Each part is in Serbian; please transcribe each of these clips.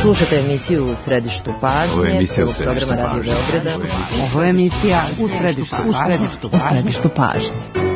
Slušate emisiju U središtu pažnje, prvog programa Radio Beograda. Ovo je emisija U središtu pažnje.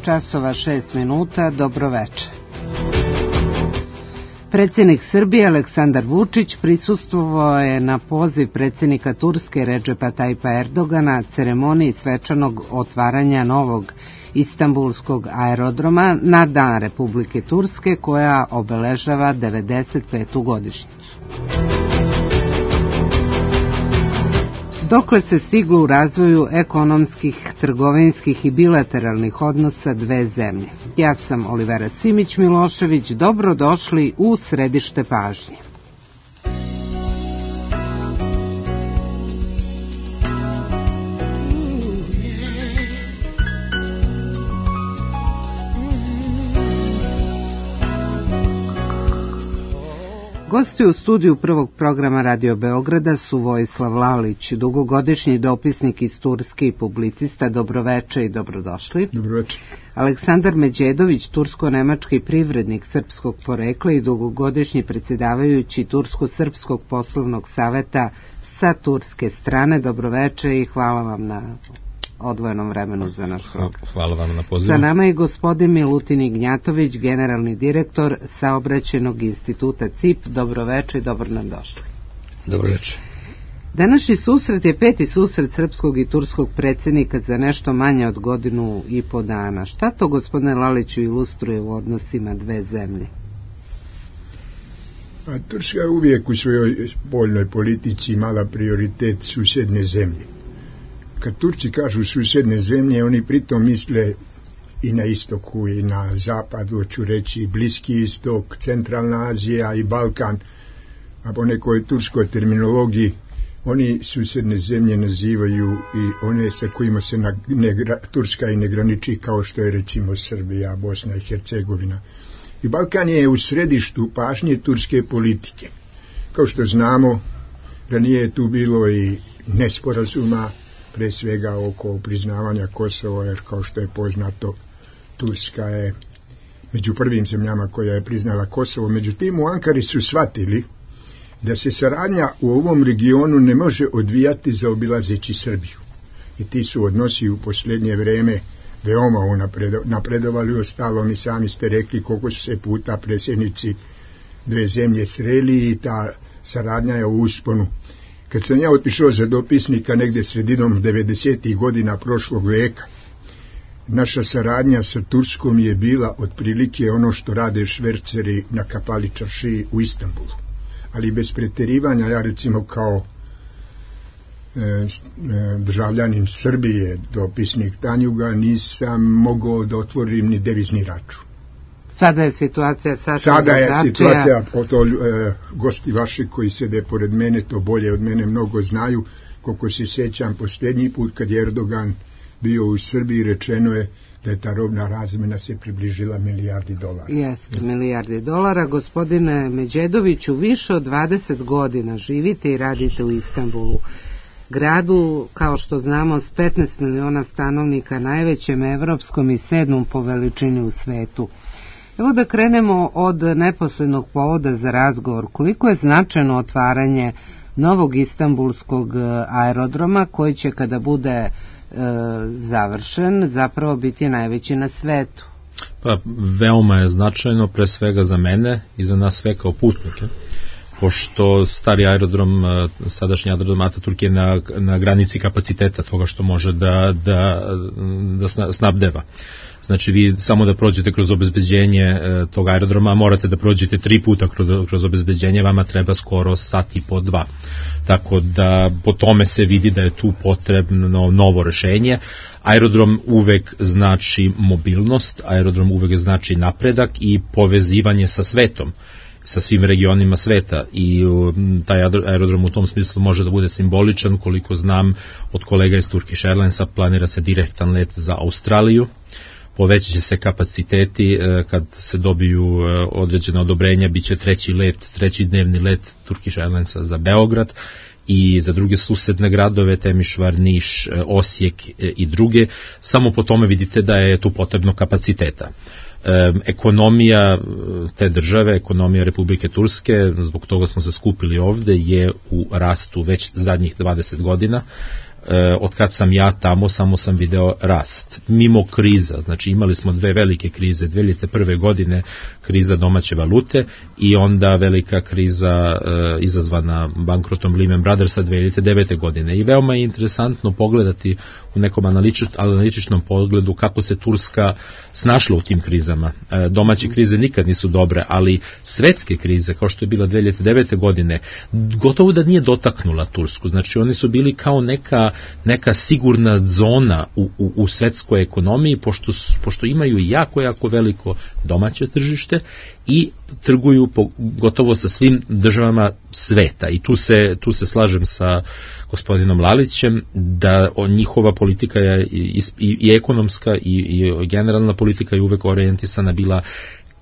Časova 6 minuta, dobro večer. Predsjednik Srbije Aleksandar Vučić prisustvovao je na poziv predsjednika Turske Redžepa Tajpa Erdogana ceremoniji svečanog otvaranja novog Istanbulskog aerodroma na Dan Republike Turske koja obeležava 95. godišnjicu. Dokle se stiglo u razvoju ekonomskih, trgovinskih i bilateralnih odnosa dve zemlje. Ja sam Olivera Simić-Milošević, dobrodošli u središte pažnje. Gosti u studiju prvog programa Radio Beograda su Vojislav Lalić, dugogodišnji dopisnik iz Turske i publicista. Dobroveče i dobrodošli. Dobroveče. Aleksandar Međedović, tursko-nemački privrednik srpskog porekla i dugogodišnji predsjedavajući Tursko-srpskog poslovnog saveta sa turske strane. Dobroveče i hvala vam na odvojenom vremenu za naš program. Hvala vam na pozivu. Sa nama je gospodin Milutin Ignjatović, generalni direktor Saobraćajnog instituta CIP. Dobroveče i dobro nam došli. Dobroveče. Današnji susret je peti susret srpskog i turskog predsjednika za nešto manje od godinu i po dana. Šta to, gospodine Laliću, ilustruje u odnosima dve zemlje? Turska je uvijek u svojoj spoljnoj politici imala prioritet susjedne zemlje. Kad Turci kažu susjedne zemlje, oni pritom misle i na istoku i na zapadu, hoću reći Bliski istok, Centralna Azija i Balkan, a po nekoj turskoj terminologiji oni susjedne zemlje nazivaju i one sa kojima se Turska i ne graniči, kao što je recimo Srbija, Bosna i Hercegovina. I Balkan je u središtu pažnje turske politike. Kao što znamo, ranije je tu bilo i nesporazuma, pre svega oko priznavanja Kosova, jer kao što je poznato, Turska je među prvim zemljama koja je priznala Kosovo. Međutim, u Ankari su shvatili da se saradnja u ovom regionu ne može odvijati zaobilazeći Srbiju. I ti su odnosi u posljednje vreme veoma napredovali. Ostalom i sami ste rekli koliko su se puta predsjednici dve zemlje sreli i ta saradnja je u usponu. Kad sam ja otišao za dopisnika negdje sredinom 90. godina prošlog veka, naša saradnja sa Turskom je bila otprilike ono što rade šverceri na Kapali čaršiji u Istanbulu. Ali bez pretjerivanja, ja recimo kao državljanin Srbije, dopisnik Tanjuga, nisam mogao da otvorim ni devizni račun. Sada je situacija gosti vaši koji sede pored mene to bolje od mene mnogo znaju. Koliko se sjećam, posljednji put kad je Erdogan bio u Srbiji, rečeno je da je ta robna razmjena se približila milijardi dolara. Jeste, milijardi dolara. Gospodine Međedoviću, više od 20 godina živite i radite u Istanbulu, gradu, kao što znamo, s 15 miliona stanovnika, najvećem evropskom i 7. po veličini u svetu. Evo da krenemo od neposrednog povoda za razgovor. Koliko je značajno otvaranje novog istanbulskog aerodroma koji će kada bude završen zapravo biti najveći na svetu? Pa veoma je značajno, pre svega za mene i za nas sve kao putnike, pošto stari aerodrom, sadašnji aerodrom Ataturk je na granici kapaciteta toga što može da snabdeva. Znači vi samo da prođete kroz obezbeđenje tog aerodroma morate da prođete 3 puta kroz obezbeđenje, vama treba skoro sat i po 2. Tako da po tome se vidi da je tu potrebno novo rešenje. Aerodrom uvek znači mobilnost, aerodrom uvek znači napredak i povezivanje sa svetom, sa svim regionima sveta, i taj aerodrom u tom smislu može da bude simboličan. Koliko znam od kolega iz Turkish Airlinesa, planira se direktan let za Australiju, povećat će se kapaciteti, kad se dobiju određena odobrenja, bit će treći dnevni let Turkish Airlinesa za Beograd i za druge susedne gradove, Temišvar, Niš, Osijek i druge. Samo po tome vidite da je tu potrebno kapaciteta. Ekonomija te države, ekonomija Republike Turske, zbog toga smo se skupili ovde, je u rastu već zadnjih 20 godina. Od kad sam ja tamo, samo sam video rast. Mimo kriza, znači imali smo 2 velike krize, 2001. godine kriza domaće valute i onda velika kriza izazvana bankrotom Lehman Brothersa 2009. godine. I veoma je interesantno pogledati u nekom analitičnom pogledu kako se Turska snašla u tim krizama. Domaće krize nikad nisu dobre, ali svetske krize, kao što je bila 2009. godine, gotovo da nije dotaknula Tursku. Znači oni su bili kao neka sigurna zona u svetskoj ekonomiji, pošto imaju jako veliko domaće tržište i trguju gotovo sa svim državama sveta. I tu se slažem sa gospodinom Lalićem da njihova politika je i ekonomska i generalna politika je uvek orijentisana bila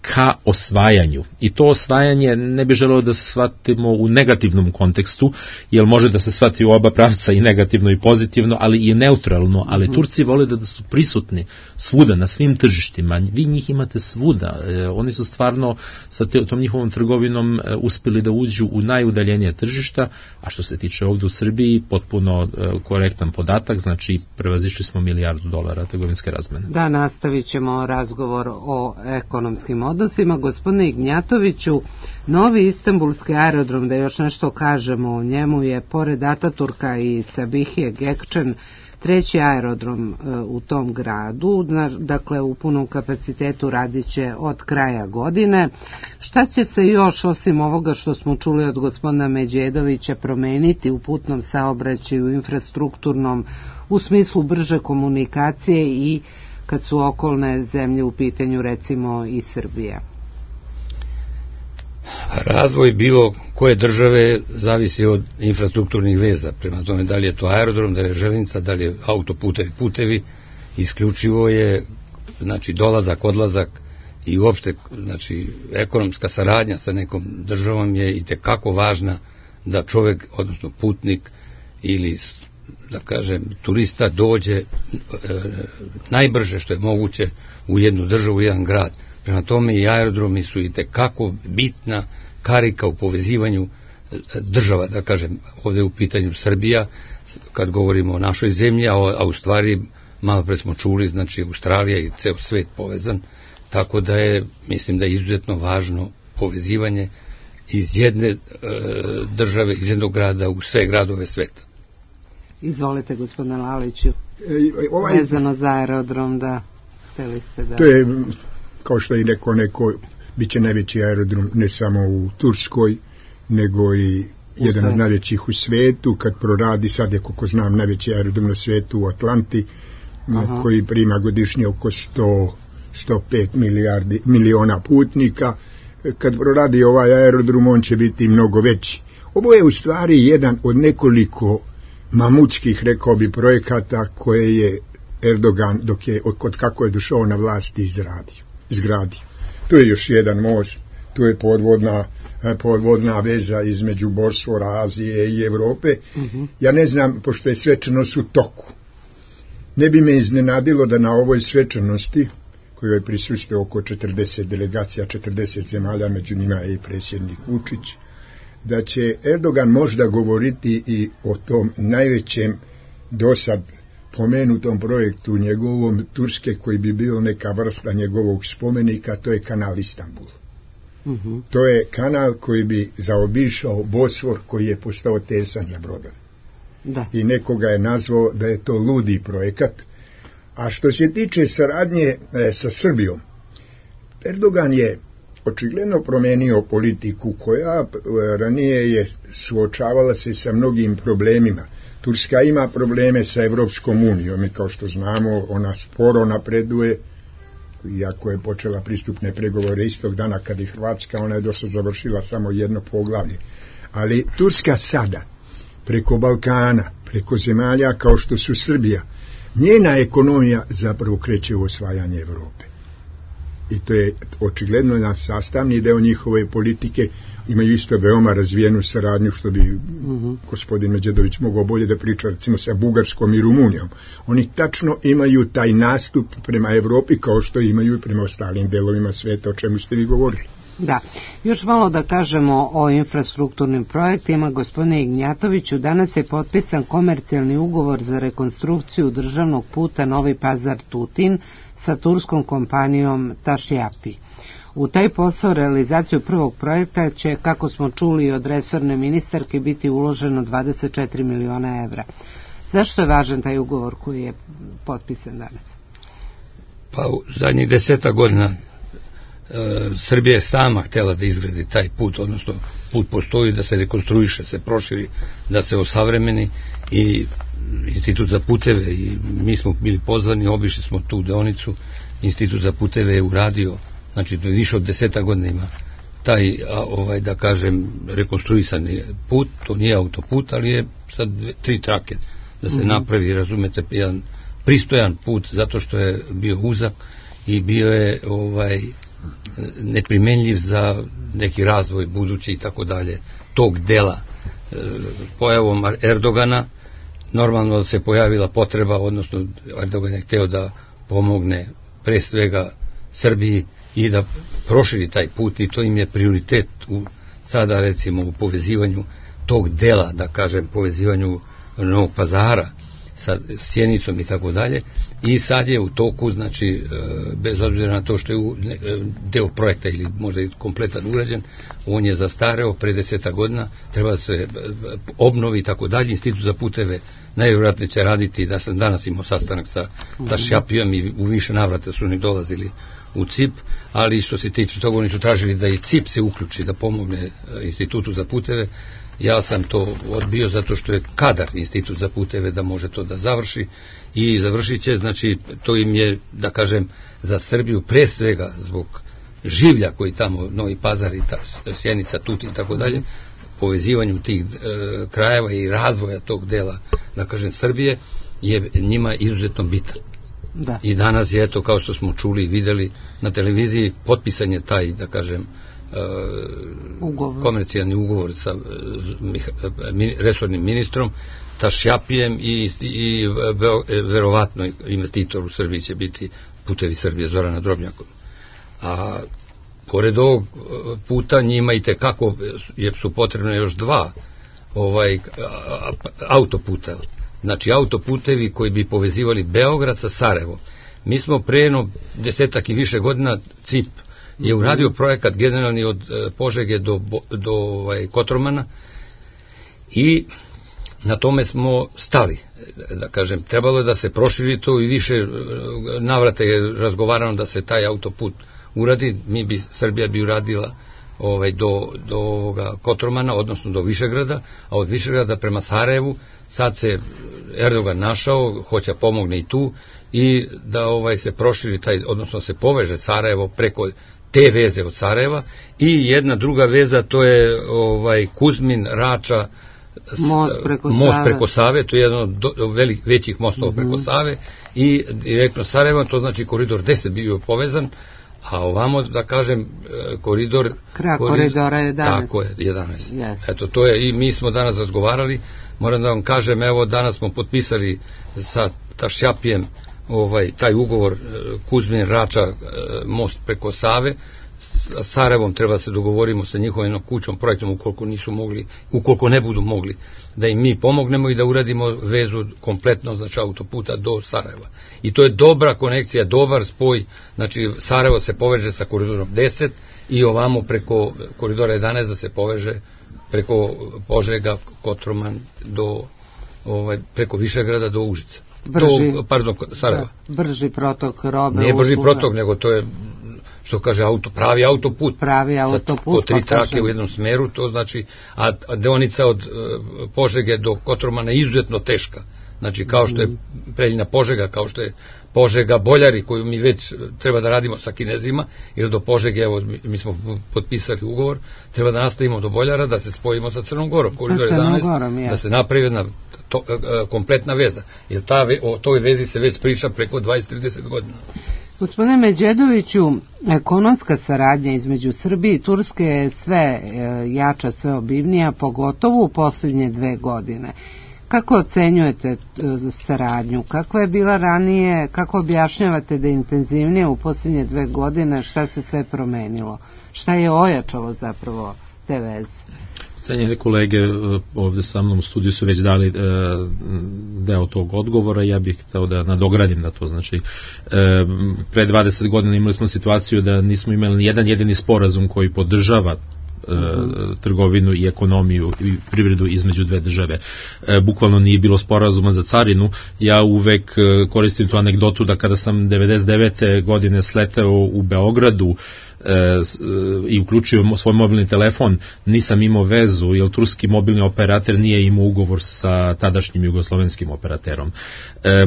ka osvajanju. I to osvajanje ne bi želeo da shvatimo u negativnom kontekstu, jer može da se shvati u oba pravca, i negativno i pozitivno, ali i neutralno, ali Turci vole da su prisutni svuda, na svim tržištima. Vi njih imate svuda. Oni su stvarno sa tom njihovom trgovinom uspeli da uđu u najudaljenije tržišta, a što se tiče ovde u Srbiji, potpuno korektan podatak, znači prevazišli smo $1 milijardu trgovinske razmene. Da, nastavit ćemo razgovor o ekonomskim odnosima. Gospodine Ignjatoviću, novi istanbulski aerodrom, da još nešto kažemo o njemu, je pored Ataturka i Sabihije Gökçen 3. aerodrom u tom gradu, dakle u punom kapacitetu radit će od kraja godine. Šta će se još, osim ovoga što smo čuli od gospodina Međedovića, promeniti u putnom saobraćaju, infrastrukturnom, u smislu brže komunikacije i kad su okolne zemlje u pitanju, recimo i Srbija? Razvoj bilo koje države zavisi od infrastrukturnih veza, prema tome da li je to aerodrom, da li je železnica, da li je putevi, isključivo je, znači, dolazak, odlazak i uopšte, znači, ekonomska saradnja sa nekom državom je i tekako važna da čovek, odnosno putnik ili, da kažem, turista dođe najbrže što je moguće u jednu državu, u jedan grad. Prema tome i aerodromi su i tekako bitna karika u povezivanju država, da kažem, ovde u pitanju Srbija, kad govorimo o našoj zemlji, a u stvari malo pre smo čuli, znači Australija i ceo svet povezan, tako da je, mislim da je izuzetno važno povezivanje iz jedne države, iz jednog grada u sve gradove sveta. Izvolite, gospodine Laliću, vezano za aerodrom, da hteli ste da... To je, kao što je neko, bit će najveći aerodrom ne samo u Turskoj, nego i jedan od najvećih u svetu. Kad proradi, sad je, koliko znam, najveći aerodrom na svetu u Atlanti, koji prima godišnje oko 105 miliona putnika. Kad proradi ovaj aerodrom, on će biti mnogo veći. Ovo je u stvari jedan od nekoliko mamutskih, rekao bi, projekata koje je Erdogan, od kako je došao na vlast, izgradio. Tu je još jedan most, tu je podvodna veza između Bosfora, Azije i Evrope. Ja ne znam, pošto je svečanost u toku, ne bi me iznenadilo da na ovoj svečanosti, kojoj prisustvuje oko 40 delegacija, 40 zemalja, među njima i predsjednik Vučić, da će Erdogan možda govoriti i o tom najvećem dosad pomenutom projektu njegovom Turske, koji bi bio neka vrsta njegovog spomenika, to je kanal Istanbul. To je kanal koji bi zaobišao Bosfor, koji je postao tesan za brodove. I nekoga je nazvao da je to ludi projekat. A što se tiče saradnje sa Srbijom, Erdogan je očigledno promenio politiku koja ranije je suočavala se sa mnogim problemima. Turska ima probleme sa Evropskom unijom i kao što znamo ona sporo napreduje, iako je počela pristupne pregovore istog dana kad je Hrvatska, ona je dosad završila samo jedno poglavlje. Ali Turska sada, preko Balkana, preko zemalja kao što su Srbija, njena ekonomija zapravo kreće u osvajanje Evrope. I to je očigledno na sastavni deo njihove politike. Imaju isto veoma razvijenu saradnju, što bi gospodin Međedović mogao bolje da priča, recimo sa Bugarskom i Rumunijom. Oni tačno imaju taj nastup prema Evropi kao što imaju i prema ostalim delovima sveta, o čemu ste vi govorili. Da, još malo da kažemo o infrastrukturnim projektima. Gospodine Ignjatoviću, danas je potpisan komercijalni ugovor za rekonstrukciju državnog puta Novi Pazar-Tutin sa turskom kompanijom Tašjapi. U taj posao, realizaciju prvog projekta, će, kako smo čuli od resorne ministarke, biti uloženo 24 miliona evra. Zašto je važan taj ugovor koji je potpisan danas? Pa u zadnjih 10 godina Srbija je sama htjela da izgradi taj put, odnosno put postoji, da se rekonstruiše, se proširi, da se osavremeni, i Institut za puteve, i mi smo bili pozvani, obišli smo tu deonicu. Institut za puteve je uradio, znači više od 10 godina ima taj, da kažem, rekonstruisani put. To nije autoput, ali je sad 3 trake da se napravi, razumete, jedan pristojan put, zato što je bio uzak i bio je neprimenljiv za neki razvoj budući i tako dalje tog dela. Pojavom Erdogana normalno se pojavila potreba, odnosno Erdogan je hteo da pomogne pre svega Srbiji i da proširi taj put, i to im je prioritet sada, recimo, u povezivanju tog dela, da kažem, povezivanju Novog Pazara sa Sjenicom i tako dalje. I sad je u toku, znači, bez obzira na to što je deo projekta ili možda i kompletan urađen, on je zastareo pre 10 godina, treba da se obnovi i tako dalje. Institut za puteve najvjerojatnije će raditi, da sam danas imao sastanak sa Tašjapijom i u više navrata su oni dolazili u CIP, ali što se tiče toga, oni su tražili da i CIP se uključi, da pomogne Institutu za puteve. Ja sam to odbio zato što je kadar Institut za puteve da može to da završi, i završit će, znači to im je, da kažem, za Srbiju pre svega zbog življa koji tamo, Novi Pazar i Sjenica, Tutin i tako dalje, povezivanju tih krajeva i razvoja tog dela, da kažem, Srbije, je njima izuzetno bitan. Da. I danas je, eto, kao što smo čuli i videli na televiziji, potpisan je taj, da kažem, komercijalni ugovor sa resornim ministrom Tašjapijem, i verovatno investitor u Srbiji će biti Putevi Srbije, Zorana Drobnjakov. A pored ovog puta njima i tekako su potrebno još 2 autoputa, znači autoputevi koji bi povezivali Beograd sa Sarajevom. Mi smo pre 10 i više godina, CIP je uradio projekat generalni od Požege do Kotromana, i na tome smo stali, da kažem. Trebalo je da se proširi to, i više navrata je razgovarano da se taj autoput uradi. Srbija bi uradila do Kotromana, odnosno do Višegrada, a od Višegrada prema Sarajevu. Sad se Erdogan našao, hoće pomogne i tu, i da se proširi taj, odnosno se poveže Sarajevo preko te veze od Sarajeva, i jedna druga veza, to je Kuzmin, Rača, most preko Save, to je jedan od većih mostova preko Save, i direktno Sarajevo, to znači koridor 10 bio povezan, a ovamo, da kažem, koridora 11. Tako je, 11. Yes. Eto, to je, i mi smo danas razgovarali, moram da vam kažem, evo, danas smo potpisali sa Tašjapijem taj ugovor Kuzmin, Rača, most preko Save, Sarajevom treba se dogovorimo sa njihovim kućom, projektom, ukoliko ne budu mogli, da im mi pomognemo i da uradimo vezu kompletno, znači autoputa do Sarajeva. I to je dobra konekcija, dobar spoj, znači Sarajevo se poveže sa koridorom 10 i ovamo preko koridora 11 da se poveže preko Požega, Kotroman do preko Višegrada do Užica. Sarajeva. Brži protok robe. Nije brži protok, nego to je, što kaže, pravi autoput. Po 3 trake u jednom smeru, to znači, a deonica od Požege do Kotromana je izuzetno teška. Znači, kao što je Preljina Požega, kao što je Požega Boljari, koju mi već treba da radimo sa Kinezima, ili do Požege, evo, mi smo potpisali ugovor, treba da nastavimo do Boljara, da se spojimo sa Crnom Gorom, koridor 11, da se napravi jedna kompletna veza. Jer o toj vezi se već priča preko 20-30 godina. Gospodine Međedoviću, ekonomska saradnja između Srbije i Turske je sve jača, sve obimnija, pogotovo u posljednje 2 godine. Kako ocenjujete saradnju? Kakva je bila ranije? Kako objašnjavate da je intenzivnije u posljednje 2 godine? Šta se sve promenilo? Šta je ojačalo zapravo te veze? Cenjene kolege ovde sa mnom u studiju su već dali deo tog odgovora, ja bih hteo da nadogradim na to. Znači, pre 20 godina imali smo situaciju da nismo imali ni jedan jedini sporazum koji podržava trgovinu i ekonomiju i privredu između 2 države. Bukvalno nije bilo sporazuma za carinu. Ja uvek koristim tu anegdotu da kada sam 99. godine sleteo u Beogradu i uključio svoj mobilni telefon, nisam imao vezu, jer turski mobilni operator nije imao ugovor sa tadašnjim jugoslovenskim operaterom.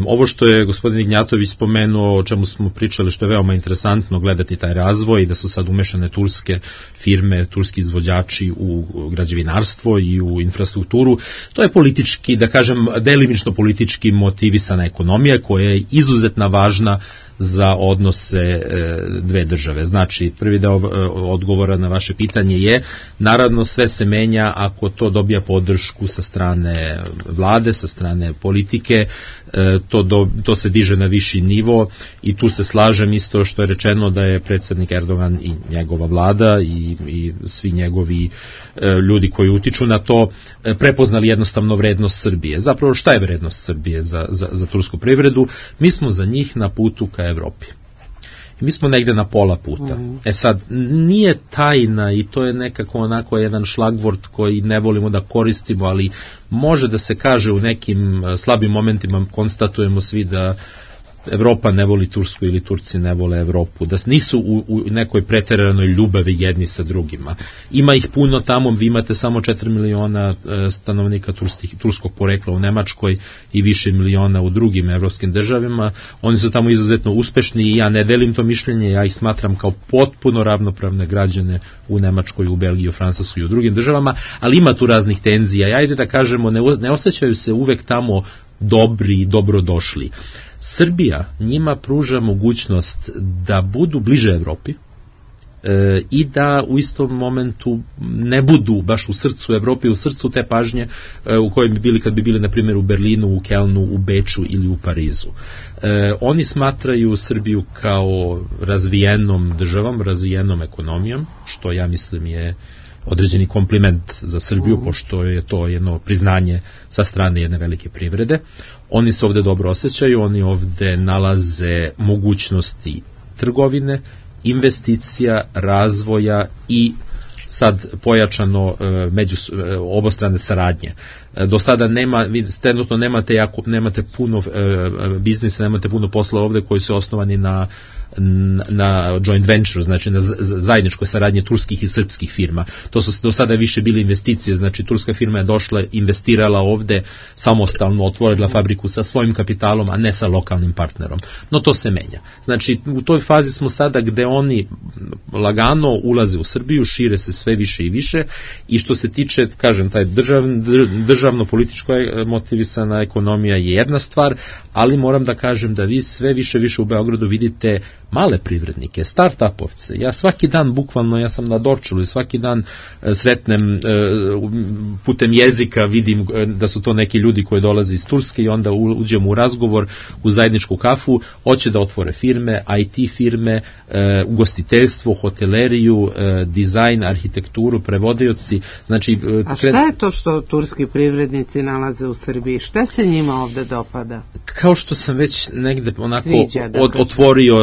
Ovo što je gospodin Ignjatović spomenuo, o čemu smo pričali, što je veoma interesantno gledati taj razvoj, da su sad umešane turske firme, turski izvođači u građevinarstvo i u infrastrukturu, to je politički, da kažem, delimično politički motivisana ekonomija koja je izuzetno važna za odnose 2 države. Znači, prvi deo odgovora na vaše pitanje je, naravno sve se menja ako to dobija podršku sa strane vlade, sa strane politike, to se diže na viši nivo i tu se slažem isto što je rečeno da je predsjednik Erdogan i njegova vlada i svi njegovi ljudi koji utiču na to prepoznali jednostavno vrednost Srbije. Zapravo šta je vrednost Srbije za tursku privredu? Mi smo za njih na putu ka Evropi. Mi smo negde na pola puta. Sad, nije tajna i to je nekako onako jedan šlagvort koji ne volimo da koristimo, ali može da se kaže u nekim slabim momentima, konstatujemo svi da Evropa ne voli Tursku ili Turci ne vole Evropu, da nisu u nekoj preteranoj ljubavi jedni sa drugima. Ima ih puno tamo, vi imate samo 4 miliona stanovnika turskog porekla u Nemačkoj i više miliona u drugim evropskim državama. Oni su tamo izuzetno uspešni i ja ne delim to mišljenje, ja ih smatram kao potpuno ravnopravne građane u Nemačkoj, u Belgiji, u Francuskoj i u drugim državama, ali ima tu raznih tenzija. Ajde da kažemo, ne osjećaju se uvek tamo dobri i dobrodošli. Srbija njima pruža mogućnost da budu bliže Evropi i da u istom momentu ne budu baš u srcu Evrope, u srcu te pažnje u kojoj bi bili kad bi bili na primjer u Berlinu, u Kelnu, u Beču ili u Parizu. Oni smatraju Srbiju kao razvijenom državom, razvijenom ekonomijom, što ja mislim je određeni kompliment za Srbiju, pošto je to jedno priznanje sa strane jedne velike privrede. Oni se ovde dobro osjećaju, oni ovde nalaze mogućnosti trgovine, investicija, razvoja i sad pojačano obostrane saradnje. Do sada trenutno nemate puno biznisa, nemate puno posla ovde koji su osnovani na joint venture, znači na zajedničkoj saradnje turskih i srpskih firma. To su do sada više bile investicije, znači turska firma je došla, investirala ovde, samostalno otvorila fabriku sa svojim kapitalom, a ne sa lokalnim partnerom. No to se menja. Znači u toj fazi smo sada gde oni lagano ulaze u Srbiju, šire se sve više i više i što se tiče, kažem, taj državni državno-političko motivisana ekonomija je jedna stvar, ali moram da kažem da vi sve više u Beogradu vidite male privrednike, start-upovce. Ja svaki dan, bukvalno, ja sam na Dorčelu i svaki dan sretnem putem jezika, vidim da su to neki ljudi koji dolaze iz Turske i onda uđemo u razgovor, u zajedničku kafu, hoće da otvore firme, IT firme, ugostiteljstvo, hoteleriju, dizajn, arhitekturu, prevodioci. Znači, a šta je to što turski privrednici nalaze u Srbiji? Šta se njima ovde dopada? Kao što sam već negde onako otvorio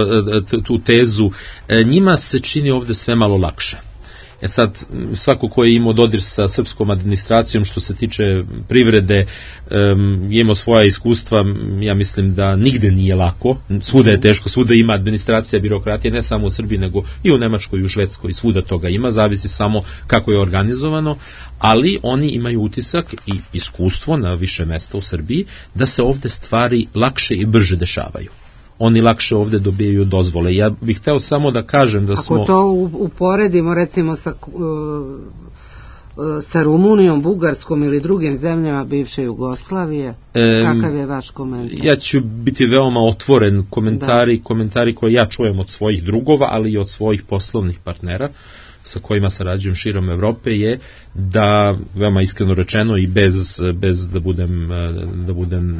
tu tezu, njima se čini ovde sve malo lakše. Sad, svako ko je imao dodir sa srpskom administracijom što se tiče privrede, je imao svoja iskustva, ja mislim da nigde nije lako, svuda je teško, svuda ima administracija, birokratija, ne samo u Srbiji, nego i u Nemačkoj i u Švedskoj, svuda toga ima, zavisi samo kako je organizovano, ali oni imaju utisak i iskustvo na više mesta u Srbiji da se ovde stvari lakše i brže dešavaju. Oni lakše ovde dobijaju dozvole. Ja bih hteo samo da kažem da smo... Ako to uporedimo recimo sa Rumunijom, Bugarskom ili drugim zemljama bivše Jugoslavije, kakav je vaš komentar? Ja ću biti veoma otvoren, komentari koje ja čujem od svojih drugova, ali i od svojih poslovnih partnera sa kojima sarađujem širom Evrope, je da, veoma iskreno rečeno i bez da budem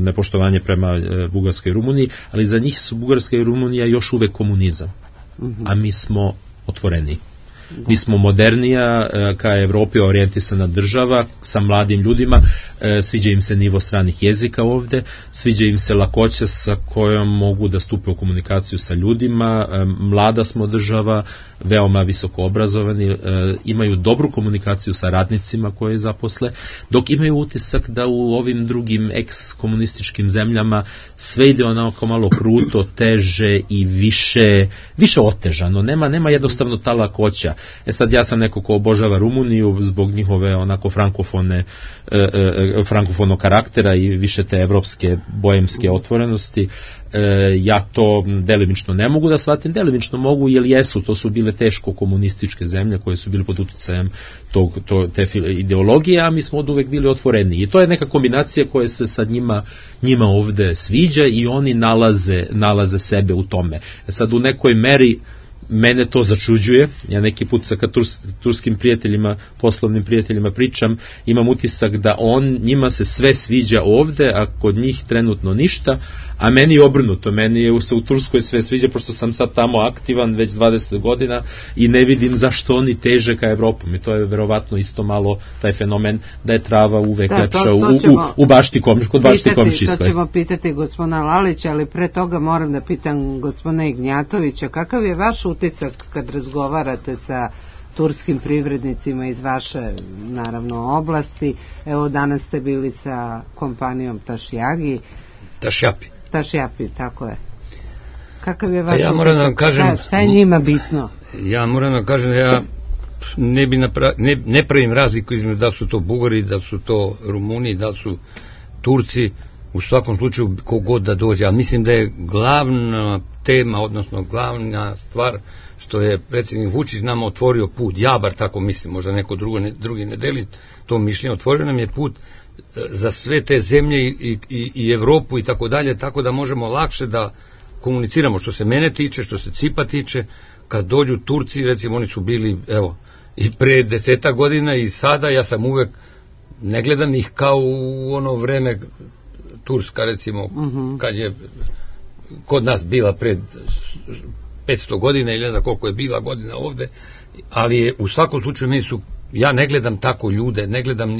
nepoštovanje prema Bugarskoj i Rumuniji, ali za njih su Bugarska i Rumunija još uvek komunizam, a mi smo otvoreni. Mi smo modernija, ka Evropi orijentisana država, sa mladim ljudima, sviđa im se nivo stranih jezika ovde, sviđa im se lakoća sa kojom mogu da stupe u komunikaciju sa ljudima, mlada smo država, veoma visoko obrazovani, imaju dobru komunikaciju sa radnicima koje zaposle, dok imaju utisak da u ovim drugim ex-komunističkim zemljama sve ide onako malo kruto, teže i više otežano, nema jednostavno ta lakoća. Sad ja sam neko ko obožava Rumuniju zbog njihove onako frankofonog karaktera i više te evropske bojemske otvorenosti. Ja to delimično ne mogu da shvatim, delimično mogu, jer to su bile teško komunističke zemlje koje su bile pod uticajem te ideologije, a mi smo od uvek bili otvoreni. I to je neka kombinacija koja se sad njima ovde sviđa i oni nalaze sebe u tome. Sad u nekoj meri mene to začuđuje, ja neki put sa turskim prijateljima, poslovnim prijateljima pričam, imam utisak da njima se sve sviđa ovde, a kod njih trenutno ništa, a meni je obrnuto, meni je se u Turskoj sve sviđa, pošto sam sad tamo aktivan već 20 godina i ne vidim zašto oni teže ka Evropom, i to je verovatno isto malo taj fenomen da je trava uvek lepša kod bašti komšijskoj. To ćemo pitati gospodina Lalića, ali pre toga moram da pitam gospodina Ignjatovića, kakav je vaš utisak kad razgovarate sa turskim privrednicima iz vaše, naravno, oblasti? Evo, danas ste bili sa kompanijom Tašjapi, tako je. Kakav je vaš utisak? Ja moram da vam kažem... Šta je njima bitno? Ja moram da vam kažem da ja ne pravim razliku između da su to Bugari, da su to Rumuni, da su Turci, u svakom slučaju kogod da dođe, ali mislim da je glavna tema, odnosno glavna stvar što je predsjednik Vučić nama otvorio put, ja bar tako mislim, možda neko drugi ne deli to mišljenje, otvorio nam je put za sve te zemlje i Evropu i tako dalje, tako da možemo lakše da komuniciramo, što se mene tiče, što se Cipa tiče. Kad dođu Turci, recimo oni su bili, evo, i pre 10 godina i sada, ja sam uvek, ne gledam ih kao u ono vreme Turska, recimo, kad je kod nas bila pred 500 godina ili ne znam koliko je bila godina ovde, ali je u svakom slučaju meni su, ja ne gledam tako ljude, ne gledam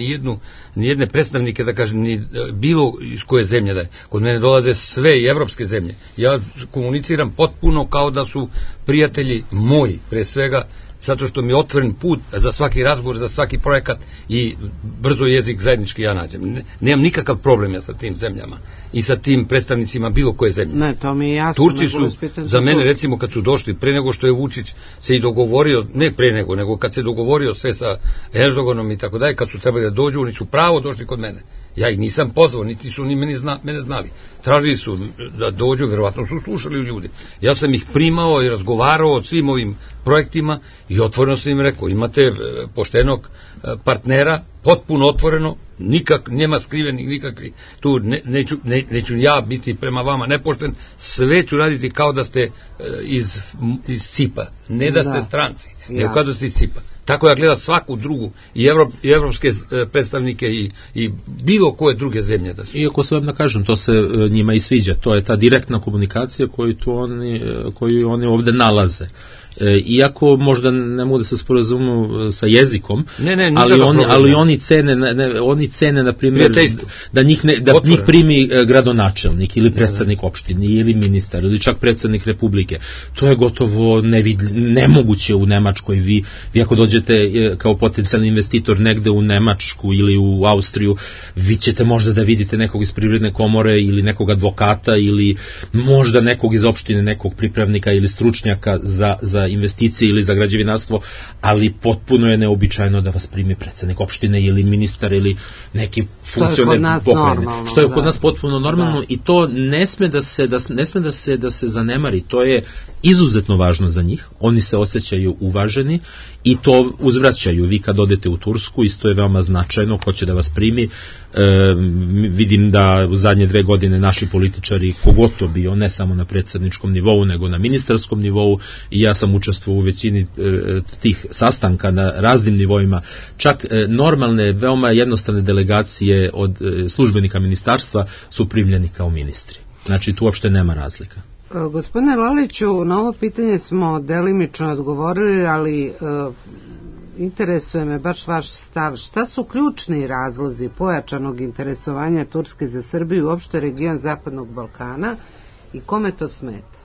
nijedne predstavnike, da kažem, ni bilo iz koje zemlje da je. Kod mene dolaze sve i evropske zemlje. Ja komuniciram potpuno kao da su prijatelji moji, pre svega, zato što mi je otvoren put za svaki razgovor, za svaki projekat i brzo jezik zajednički ja nađem. Nemam nikakav problem ja sa tim zemljama i sa tim predstavnicima bilo koje zemlje. Ne, to mi je jasno. Turci su za mene, recimo, kad su došli, pre nego što je Vučić se i dogovorio, ne pre nego kad se dogovorio sve sa Erdoganom i tako dalje, kad su trebali da dođu, oni su pravo došli kod mene. Ja ih nisam pozvao, niti su ni mene znali. Tražili su da dođu, verovatno su slušali ljudi. Ja sam ih primao i razgovarao o svim ovim projektima i otvoreno sam im rekao, imate poštenog partnera, potpuno otvoreno, nema skrivenih nikakvih, tu neću ja biti prema vama nepošten, sve ću raditi kao da ste iz CIP-a, ne da ste stranci, nego kao da ste iz CIP-a. Tako ja gledam svaku drugu, i evropske predstavnike i bilo koje druge zemlje da su. Iako se vam da kažem, to se njima i sviđa, to je ta direktna komunikacija koju oni ovde nalaze. Iako možda ne mogu da se sporazumu sa jezikom, ali oni cene na primjer da njih primi gradonačelnik ili predsednik opštine ili ministar ili čak predsednik republike. To je gotovo nemoguće u Nemačkoj. Vi ako dođete kao potencijalni investitor negde u Nemačku ili u Austriju, vi ćete možda da vidite nekog iz privredne komore ili nekog advokata ili možda nekog iz opštine, nekog pripravnika ili stručnjaka za investicije ili za građevinarstvo, ali potpuno je neobičajno da vas primi predsednik opštine ili ministar ili neki funkcioner pokrajine. Što je kod nas potpuno normalno i to ne sme da se zanemari. To je izuzetno važno za njih. Oni se osjećaju uvaženi i to uzvraćaju. Vi kad odete u Tursku, isto je veoma značajno ko će da vas primi. Vidim da u zadnje 2 godine naši političari, kogod to bio, ne samo na predsedničkom nivou, nego na ministarskom nivou, i ja sam učestvovao u većini tih sastanka na raznim nivoima, čak normalne, veoma jednostavne delegacije od službenika ministarstva su primljeni kao ministri. Znači, tu uopšte nema razlika. Gospodine Laliću, na ovo pitanje smo delimično odgovorili, ali interesuje me baš vaš stav. Šta su ključni razlozi pojačanog interesovanja Turske za Srbiju i uopšte region Zapadnog Balkana i kome to smeta?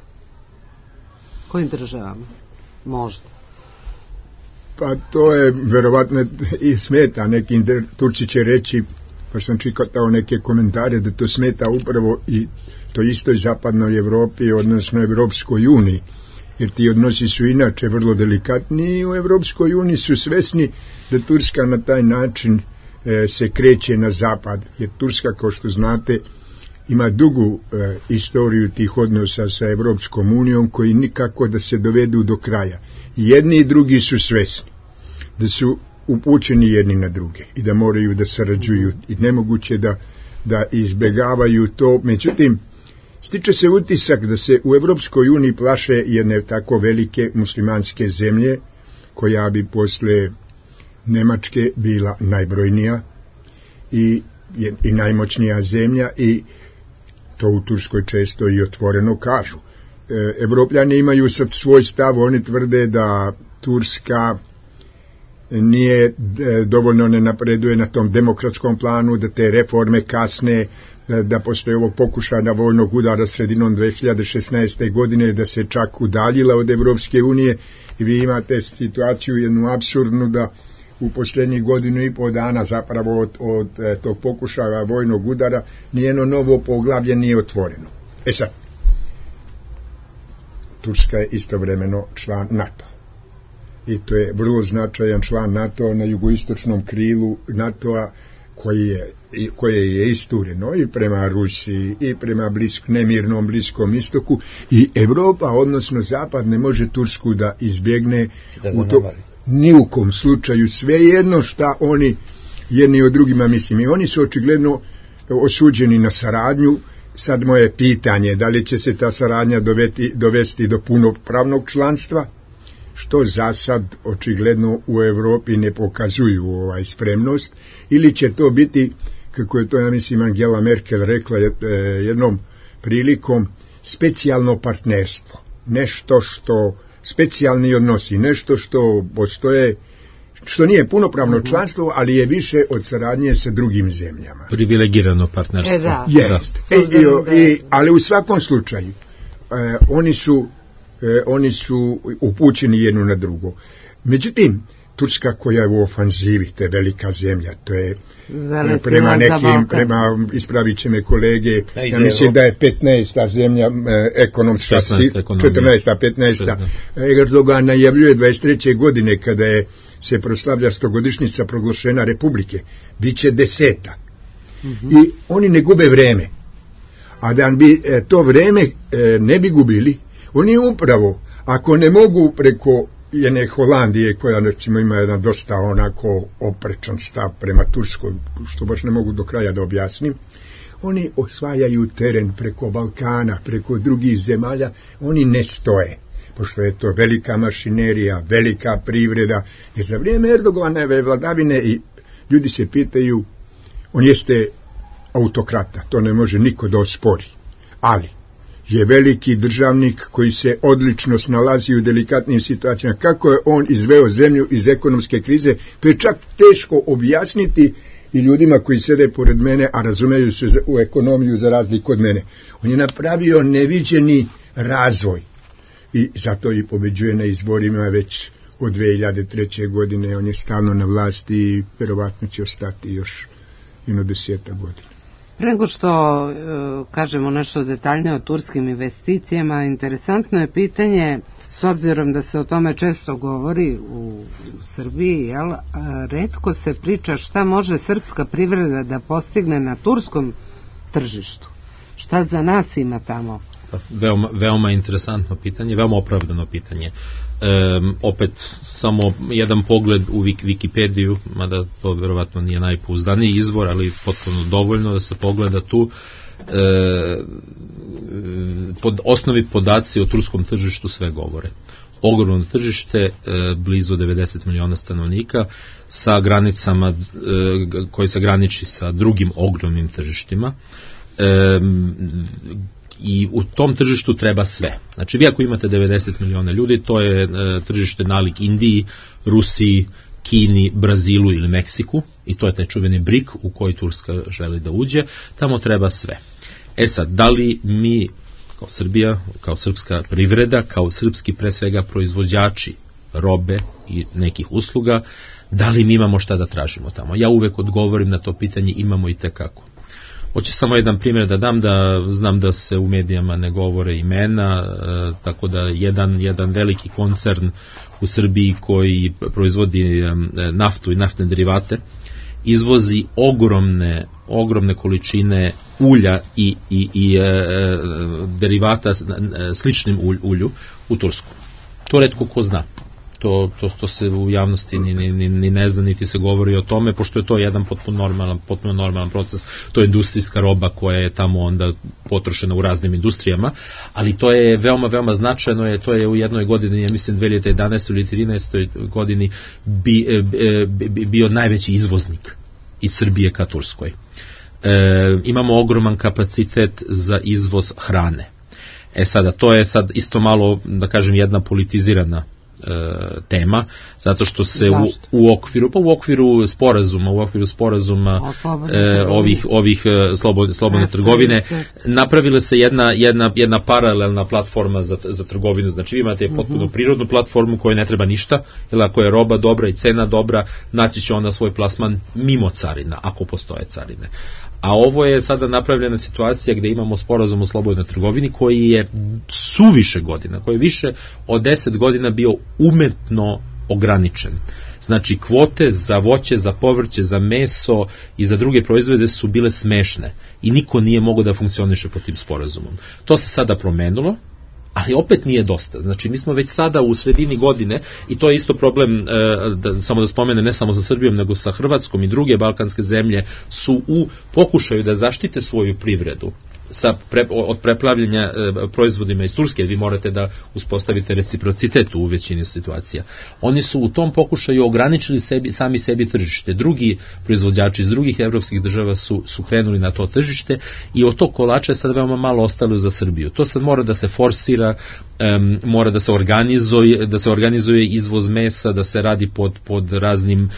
Kojim državama? Možda. Pa to je verovatno i smeta. Neki Turci će reći, pa sam čitao neke komentare, da to smeta upravo i to istoj zapadnoj Evropi, odnosno Evropskoj uniji, jer ti odnosi su inače vrlo delikatni i u Evropskoj uniji su svesni da Turska na taj način se kreće na zapad, jer Turska, kao što znate, ima dugu istoriju tih odnosa sa Evropskom unijom koji nikako da se dovedu do kraja. Jedni i drugi su svesni da su upućeni jedni na druge i da moraju da sarađuju i nemoguće da izbegavaju to. Međutim, stiče se utisak da se u Evropskoj uniji plaše jedne tako velike muslimanske zemlje, koja bi posle Nemačke bila najbrojnija i najmoćnija zemlja, i to u Turskoj često i otvoreno kažu. Evropljani imaju sad svoj stav, oni tvrde da Turska nije dovoljno ne napreduje na tom demokratskom planu, da te reforme kasne, da postoje ovog pokušaja vojnog udara sredinom 2016. godine, da se čak udaljila od Evropske unije, i vi imate situaciju jednu apsurdnu da u posljednjih 1.5 dana zapravo od tog pokušaja vojnog udara nijeno novo poglavlje nije otvoreno. Sad, Turska je istovremeno član NATO. I to je vrlo značajan član NATO na jugoistočnom krilu NATO-a, koje je istureno i prema Rusiji i prema nemirnom Bliskom istoku, i Evropa, odnosno Zapad, ne može Tursku da izbjegne u to, ni u kom slučaju, svejedno šta oni jedni od drugima mislim. I oni su očigledno osuđeni na saradnju. Sad moje pitanje, da li će se ta saradnja dovesti do punopravnog članstva, što za sad očigledno u Evropi ne pokazuju spremnost, ili će to biti, kako je to, ja mislim, Angela Merkel rekla jednom prilikom, specijalno partnerstvo, nešto što specijalni odnosi, nešto što postoje, što nije punopravno članstvo, ali je više od saradnje sa drugim zemljama. Privilegirano partnerstvo. Ali u svakom slučaju oni su upućeni jedno na drugo. Međutim, Turska, koja je u ofanzivi, to je velika zemlja, to je prema ispravit će me kolege, ja mislim da je 15. zemlja ekonomska, 14. Erdogan najavljuje 23. godine, kada se proslavlja 100-godišnjica proglašenja Republike, bit će 10. I oni ne gube vreme. A da bi to vreme ne bi gubili, oni upravo, ako ne mogu preko jedne Holandije koja recimo ima jedan dosta onako oprečan stav prema Turskoj, što baš ne mogu do kraja da objasnim. Oni osvajaju teren preko Balkana, preko drugih zemalja, oni ne stoje, pošto je to velika mašinerija, velika privreda, jer za vrijeme Erdoganove vladavine i ljudi se pitaju, on jeste autokrata, to ne može niko da ospori, ali je veliki državnik koji se odlično snalazi u delikatnim situacijama. Kako je on izveo zemlju iz ekonomske krize, to je čak teško objasniti i ljudima koji sede pored mene, a razumeju se u ekonomiju za razliku od mene. On je napravio neviđeni razvoj i zato i pobeđuje na izborima već od 2003. godine. On je stalno na vlasti i verovatno će ostati još jedno 10 godina. Pre nego što kažemo nešto detaljnije o turskim investicijama, interesantno je pitanje, s obzirom da se o tome često govori u Srbiji, retko se priča šta može srpska privreda da postigne na turskom tržištu. Šta za nas ima tamo? Veoma interesantno pitanje, veoma opravdano pitanje. Opet samo jedan pogled u Wikipediju, mada to verovatno nije najpouzdaniji izvor, ali potpuno dovoljno da se pogleda tu. Osnovi podaci o turskom tržištu sve govore. Ogromno tržište, blizu 90 miliona stanovnika, sa granicama koji se graniči sa drugim ogromnim tržištima. I u tom tržištu treba sve. Znači, vi ako imate 90 miliona ljudi, to je tržište nalik Indiji, Rusiji, Kini, Brazilu ili Meksiku, i to je taj čuveni BRIC u koji Turska želi da uđe, tamo treba sve. Sad, da li mi kao Srbija, kao srpska privreda, kao srpski pre svega proizvođači robe i nekih usluga, da li mi imamo šta da tražimo tamo? Ja uvek odgovorim na to pitanje, imamo i tekako. Hoću samo jedan primjer da dam, da znam da se u medijama ne govore imena, tako da jedan veliki koncern u Srbiji koji proizvodi naftu i naftne derivate izvozi ogromne količine ulja i derivata sličnim ulju u Tursku. To retko ko zna. To se u javnosti ni ne zna, niti se govori o tome, pošto je to jedan potpuno normalan proces. To je industrijska roba koja je tamo onda potrošena u raznim industrijama, ali to je veoma značajno, to je u jednoj godini, ja mislim 2011. ili 2013. godini bio najveći izvoznik iz Srbije ka Turskoj. Imamo ogroman kapacitet za izvoz hrane. Sada, to je sad isto malo, da kažem, jedna politizirana tema, zato što se u okviru sporazuma ovih slobodne trgovine napravila se jedna paralelna platforma za trgovinu. Znači vi imate potpuno prirodnu platformu koja ne treba ništa, jer ako je roba dobra i cena dobra, naći će onda svoj plasman mimo carina, ako postoje carine. A ovo je sada napravljena situacija gde imamo sporazum o slobodnoj trgovini koji je suviše godina, koji je više od 10 godina bio umetno ograničen. Znači kvote za voće, za povrće, za meso i za druge proizvode su bile smešne i niko nije mogao da funkcioniše pod tim sporazumom. To se sada promenilo, ali opet nije dosta. Znači mi smo već sada u sredini godine i to je isto problem, samo da spomenem, ne samo sa Srbijom nego sa Hrvatskom i druge balkanske zemlje su u pokušaju da zaštite svoju privredu od preplavljanja proizvodima iz Turske. Vi morate da uspostavite reciprocitet u većini situacija. Oni su u tom pokušaju ograničili sami sebi tržište. Drugi proizvođači iz drugih evropskih država su krenuli na to tržište i od tog kolača je sad veoma malo ostalo za Srbiju. To sad mora da se forsira, mora da se organizuje izvoz mesa, da se radi pod raznim